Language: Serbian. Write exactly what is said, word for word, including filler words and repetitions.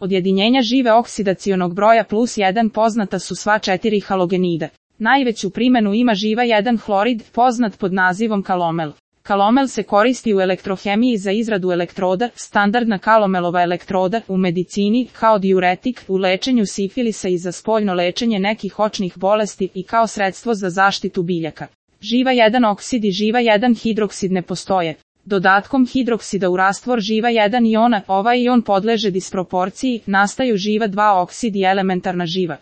Od jedinjenja žive oksidacionog broja plus jedan poznata su sva četiri halogenida. Najveću primjenu ima živa jedan hlorid, poznat pod nazivom kalomel. Kalomel se koristi u elektrohemiji za izradu elektroda, standardna kalomelova elektroda, u medicini, kao diuretik, u lečenju sifilisa i za spoljno lečenje nekih očnih bolesti i kao sredstvo za zaštitu biljaka. Živa jedan oksid i živa jedan hidroksid ne postoje. Dodatkom hidroksida u rastvor živa jedan iona, ovaj ion podleže disproporciji, nastaju živa dva oksid i elementarna živa.